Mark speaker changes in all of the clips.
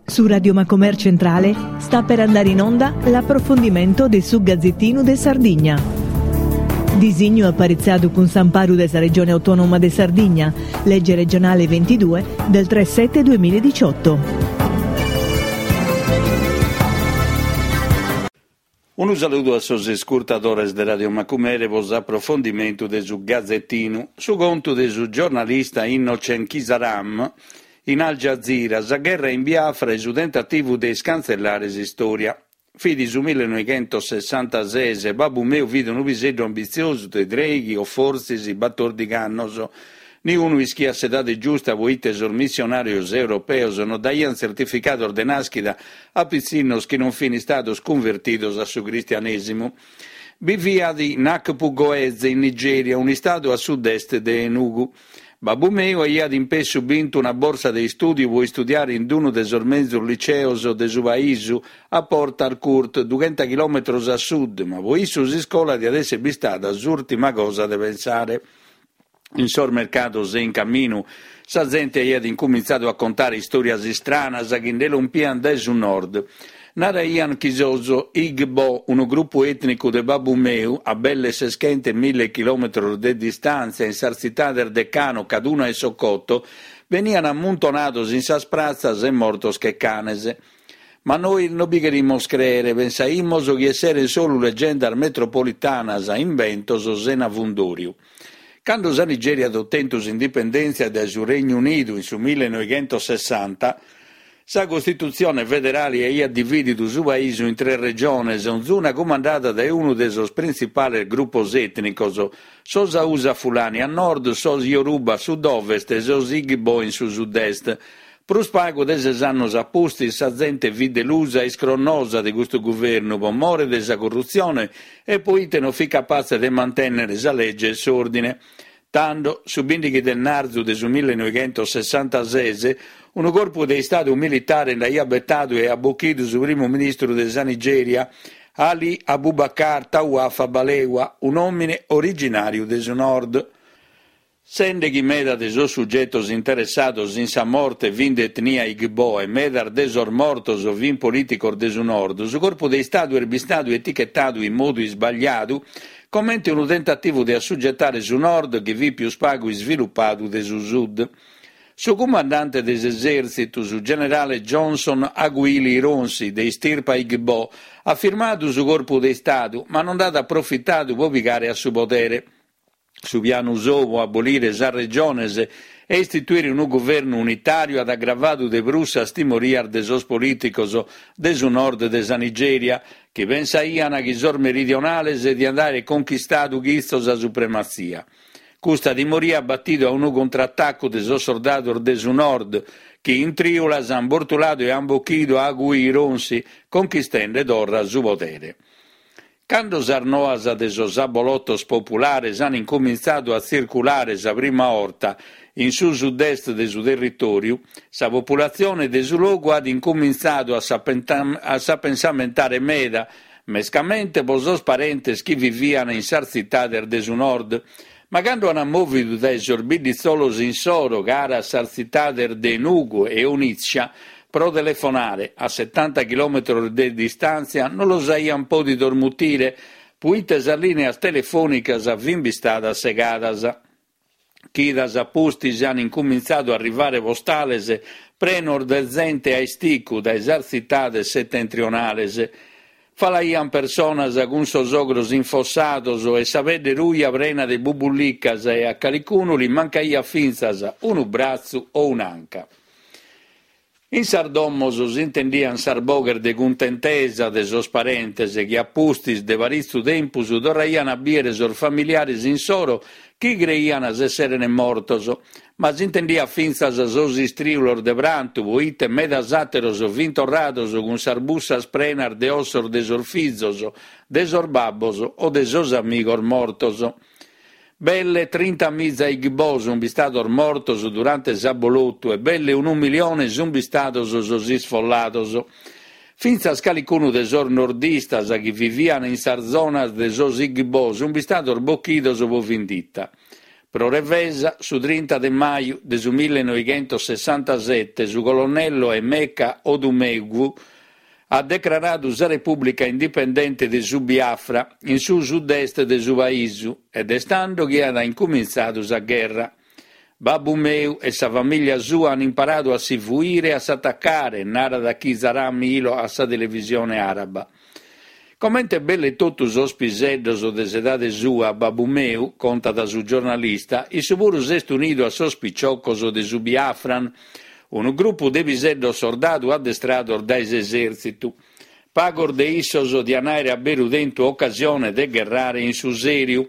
Speaker 1: Su Radio Macomer Centrale sta per andare in onda l'approfondimento de su Gazzettinu de Sardigna. Disignu aparitzadu cun s'amparu de sa Regione Autonoma de Sardigna, Legge regionale 22 del 3 7 2018.
Speaker 2: Unu saludu a sos iscurtadores de Radio Macumere pro s'aprofondimentu de su Gazetinu. Su contu de su giornalista Innocent Chizaram in Al Jazeera, sa gherra in Biafra e su tentativu de iscantzellare s'istòria. Fit su millenoighentosessantases e babbu meu fit unu piseddu ambitziosu de trèighi o fortzis batòrdighi annos. Niunu ischiat s'edade giusta poite sos missionàrios europeos no daiant tzertificados de nàschida a pitzinnos chi non fin istados cunvertidos a su cristianèsimu. Biviat in Akpugoeze, in Nigèria, un'istadu a sud-est de Enugu. Babbu meu aiat in pessu bintu una borsa de istùdiu pro istudiare in unu de sos menzus liceos de su paisu, a Port Harcourt, dughenta chilòmetros a sud, ma pro issu s'iscola diat èssere bistada s'ùrtima cosa de pensare. In sos mercados e in caminu, sa zente aiat incumintzadu a contare istòrias istranas chi nde lompiant dae su nord. Naraiant chi sos Igbo, unu grupu ètnicu de babbu meu, a belle seschentemilla chilòmetros de distàntzia in sas tzitades de Kano, Kaduna e Sokoto, beniant ammuntonados in sas pratzas e mortos che canes. Ma nois no bi cherimus crèere, pensaimus chi esserent solu legendas metropolitanas, imbentos sena fundòriu. Cando sa Nigèria at otentu s'indipendèntzia dae su Regnu Unidu in su millenoighentosessanta, sa Costitutzione federale aiat divìdidu su paisu in tres regiones, onzuna cumandada dae unu de sos printzipales grupos ètnicos, sos Hausa Fulani a nord, sos Yoruba a sud-ovest e sos Igbo in su sud-est. Prus pagu de ses annos a pustis sa zente fit delusa e iscronnosa de custu guvernu pro more de sa corrutzione e poite non fit capatze de mantènnere sa lege e s'òrdine. Tando, su bìndighi de narzu de su millenoighentosessantases, unu corpu de istadu militare nd'aiat betadu e at bochidu su primu ministru de sa Nigèria, Ali Abubakar Tawafa Balewa, un'òmine originàriu de su nord. Sende chi meda de sos sugetos interessados in sa morte fin de etnia Igbo e medas de sos mortos fin polìticos de su nord, su corpu de istadu est bistadu etichetadu in modu isbagliadu comente unu tentativu de assugetare su nord chi fit pius pagu isvilupadu de su sud. Su cumandante de s'esèrtzitu, su generale Johnson Aguiyi Ironsi, de istirpa Igbo, at firmadu su corpu de istadu, ma non nd'at aprofitadu pro pigare a su podere. Su pianu sou pro abolire sas regiones e istituire unu guvernu unitàriu at agravadu de prus sas timorias de sos polìticos de su nord de sa Nigèria, chi pensaiant chi sos meridionales diant àere conchistadu chitzo sa suprematzia. Custa timoria at batidu a unu contratacu de sos sordados de su nord, chi in trìulas ant bortuladu e ant bochidu a Aguiyi Ironsi, conchistende torra su podere. Cando sas noas de sos abolotos populares an incumintzadu a tzirculare sa prima 'orta in su sud-est de su territòriu, sa populatzione de su logu at incumintzadu a s'apensamentare meda, mescamente pro sos parentes chi vivian in sas tzitades de su nord. Ma cando an mòvidu dae sos bidditzolos insoro cara a sas tzitades de Enugu e Onitsha pro telefonare, a setanta chilòmetros de distàntzia, non los aian pòdidos mutire, puite sas lìneas telefònicas fin bistadas segadas. Chidas a pustis an incumintzadu a arrivare postales prenos de zente a isticu dae sas tzitades setentrionales. Falaian personas cun sos ogros infossados e sa pedde ruja prena de bubullicas e a calicunu li mancaiat fintzas unu bratzu o un'anca. In sas domos s'intendian sas boghes de cuntentesa de sos parentes chi a pustis de paritzu tempus torraian a bìere sos familiares insoro chi creian s'esseren mortos, ma s'intendiat fintzas sos istrìulos de prantu poite medas àteros fin torrados cun sas bussas prenas de ossos de sos fizos, de sos babbos o de sos amigos mortos. Belle trintamiza Igbo sun bistados mortos durante s'abolotu e belle unu milione sun bistados sos isfollados. Fintzas calicunu de sos nordistas chi vivian in sas zonas de sos Igbo sun bistados bochidos pro vindita. Pro revesa, su trinta de maju de su millenoighentosessantasete su colonnello Emeka Odumegwu at decraradu sa Repùblica Indipendente de su Biafra in su sud-est de su paisu ed est tando chi at incumintzadu sa gherra. Babbu meu e sa famìllia sua an imparadu a si fuire e a s'atacare, narat Chizaram Ilo a sa televisione àraba. Comente belle totu sos piseddos de s'edade sua, babbu meu, contat su giornalista, issu puru s'est unidu a sos piciocos de su Biafran, unu grupu de piseddos sordadu addestrados dae s'esèrtzitu. Pagos de issos dian àere a beru tentu ocasione de gherrare in su sèriu,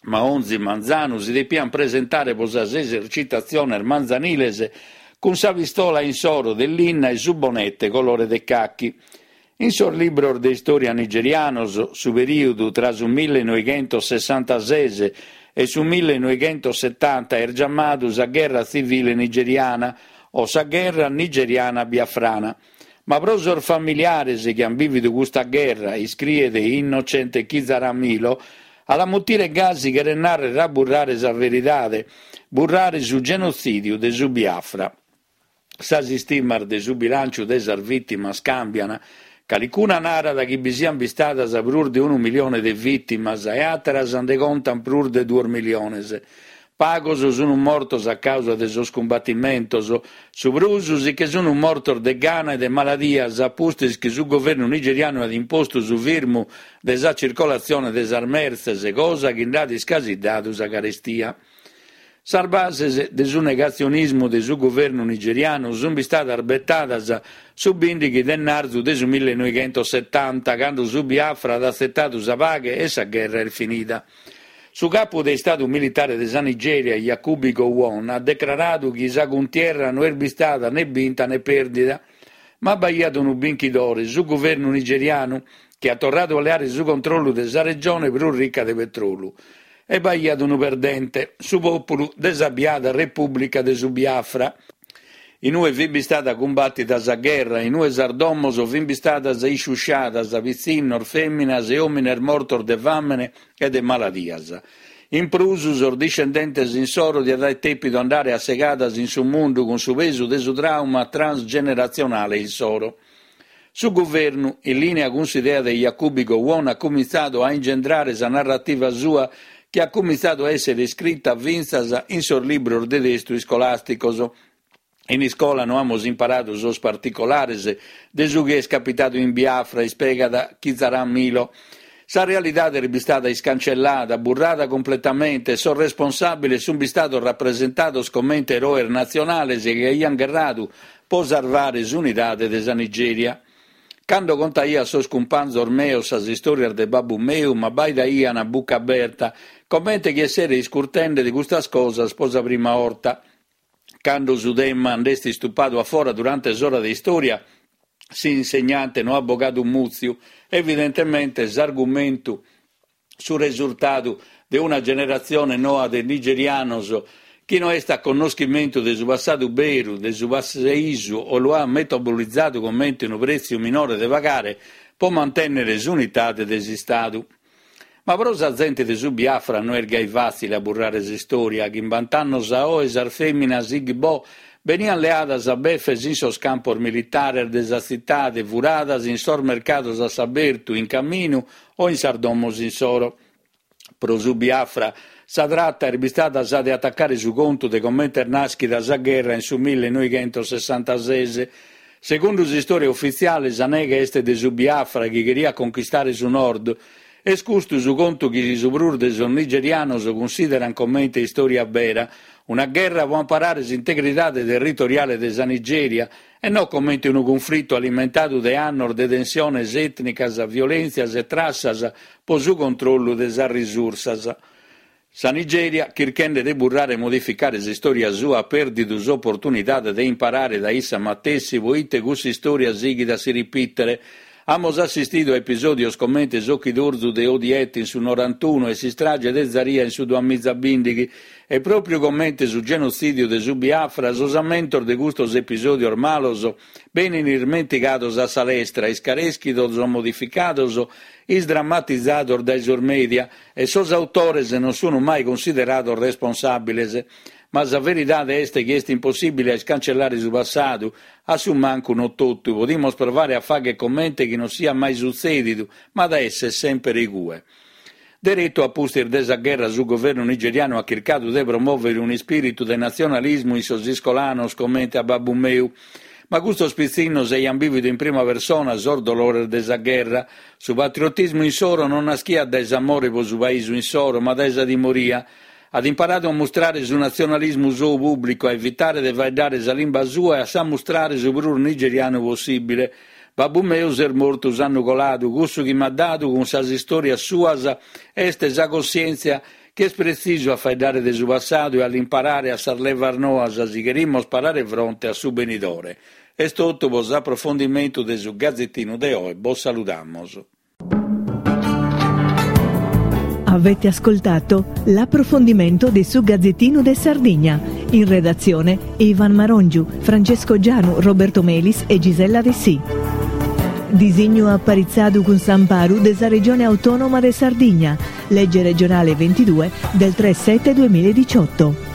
Speaker 2: ma onzi manzanu si depian presentare pro sas esercitatziones manzaniles cun sa pistola insoro de linna e su bonete colore de cachi. In sos libros de istòria nigerianos, su perìudu tra su millenoighentosessantases e su millenoighentossetanta est giamadu sa Gherra Tzivile Nigeriana o sa Gherra Nigeriana Biafrana. Ma pro sos familiares chi an bìvidu custa gherra, iscriet Innocent Chizaram Ilo, a la mutire gasi cheret nàrrere a burrare sa veridade, burrare su genotzìdiu de su Biafra. Sas istimas de su bilànciu de sas vìtimas càmbian, calicuna narat chi bi sian bistadas prus de unu milione de vìtimas e àteras nde contan prus de duos miliones. Pagos sun mortos a càusa de sos cumbatimentos, su prus si che sun mortos de gana e de maladias a pustis chi su governu nigerianu at impostu su firmu de sa circolatzione de sas mertzes, cosa chi nd'at iscasiddadu sa carestia. Sas bases de su negatzionismu de su guvernu nigerianu sun bistadas betadas su bìndighi de ennarzu de su millenoighentossetanta, cando su Biafra at atzetadu sa paghe e sa gherra est finida. Su capu de istadu militare de sa Nigèria, Yakubu Gowon, at decraradu chi sa cuntierra no est bistada ne binta ne pèrdida. Ma b'aiat unu binchidore, su guvernu nigerianu, chi at torradu a leare su controllu de sa regione prus rica de petrolu. E b'aiat unu perdente, su pòpulu de sa biada Repùblica de su Biafra. In ue fit bistada cumbàtida sa gherra, in ue sas domos fin bistadas isciusciadas, pitzinnos, fèminas e òmines mortos de fàmene e de maladias. In prus, sos discendentes insoro diant aer tèpidu andare a segadas in su mundu cun su pesu de su tràuma transgeneratzionale insoro. Su guvernu, in lìnea cun s'idea de Yakubu Gowon, at cumintzadu a ingendrare sa narrativa sua chi at cumintzadu a èssere iscrita fintzas in sos libros de testu iscolàsticos. In iscola no amus imparadu sos particolares de su chi est capitadu in Biafra, ispiegat Chizaram Ilo. Sa realidade est bistada iscancellada, burrada cumpletamente e sos responsàbiles sunt bistados rapresentados comente eroes natzionales chi aiant gherradu pro sarvare s'unidade de sa Nigèria. Cando contaia a sos cumpanzos meos sas istòrias de babbu meu m'abbaidaian a buca aberta, comente chi essere iscurtende de custas cosas pro sa prima 'orta. Cando su tema nd'est istupadu a fora durante s'ora de istòria, s'insegnante no at bogadu mùtziu, evidentemente s'argumentu su resurtadu de una generatzione noa de nigerianos chi no est a connoschimentu de su passadu beru de su paisu o lu at metabolizadu comente unu prètziu minore de pagare pro mantènnere s'unidade de s'Istadu. Ma pro sa zente de su Biafra no est gai fàtzile a burrare s'istòria. Chimbant'annos a oe sas fèminas Igbo beniant leadas a befes in sos campos militares de sa tzitade, furadas in sos mercados a s'abertu, in caminu o in sas domos insoro. Pro su Biafra sa trata est bistada sa de atacare su contu de comente est nàschida sa gherra in su millenoighentosessantases. Segundu s'istòria ufitziale sa neghe est de su Biafra chi cheriat conchistare su nord. Est custu su contu chi su prus de sos nigerianos cunsìderant comente istòria bera, una gherra pro amparare s'integridade territoriale de sa Nigèria e no comente unu cunflitu alimentadu de annos de tensiones ètnicas, violèntzias e trassas pro su controllu de sas risursas. Sa Nigèria, chirchende de burrare e modificare s'istòria sua, at pèrdidu s'oportunidade de imparare dae issa matessi pro ite cussa istòria sighit a si ripìtere. Amos assistidu a episòdios comente s'ochidorzu de Odiete in su norantunu e s'istrage de Zaria in su duamizabìndighi e pròpriu comente su genotzìdiu de su Biafra, sos ammentos de custos episòdios malos benin ismentigados a sa lestra, iscarèschidos o modificados, isdramatizados dae sos mèdia e sos autores non sun mai cunsiderados responsàbiles. Ma sa veridade est chi est impossìbile a iscancellare su passadu, a su mancu no totu. Podimos provare a fagher comente chi non siat mai sutzèdidu, ma at a èssere semper igue. Deretu a pustis de sa gherra su governu nigerianu at chircadu de promòvere un'ispìritu de natzionalismu in sos iscolanos comente a babbu meu. Ma custos pitzinnos aiant bìvidu in prima persona sos dolores de sa gherra. Su patriotismu insoro non naschiat dae s'amore pro su paisu insoro, ma dae sa timoria. At imparadu a mustrare su natzionalismu sou pùblicu, a evitare de faeddare sa limba sua e a s'ammustrare su prus nigerianu possìbile. Babbu meu s'est mortu s'annu coladu, cussu chi m'at dadu cun sas istòrias suas est sa cossièntzia chi est pretzisu a faeddare de su passadu e a l'imparare a sas levas noas si cherimos parare fronte a su benidore. Est totu pro s'aprofondimentu de su Gazetinu de oe, bos saludamos.
Speaker 1: Avete ascoltato l'approfondimento de su Gazzettino de Sardigna. In redazione Ivan Marongiu, Francesco Gianu, Roberto Melis e Gisella Dessì. Disignu aparitzadu cun s'amparu de sa Regione Autonoma de Sardigna, legge regionale 22 del 3 7 2018.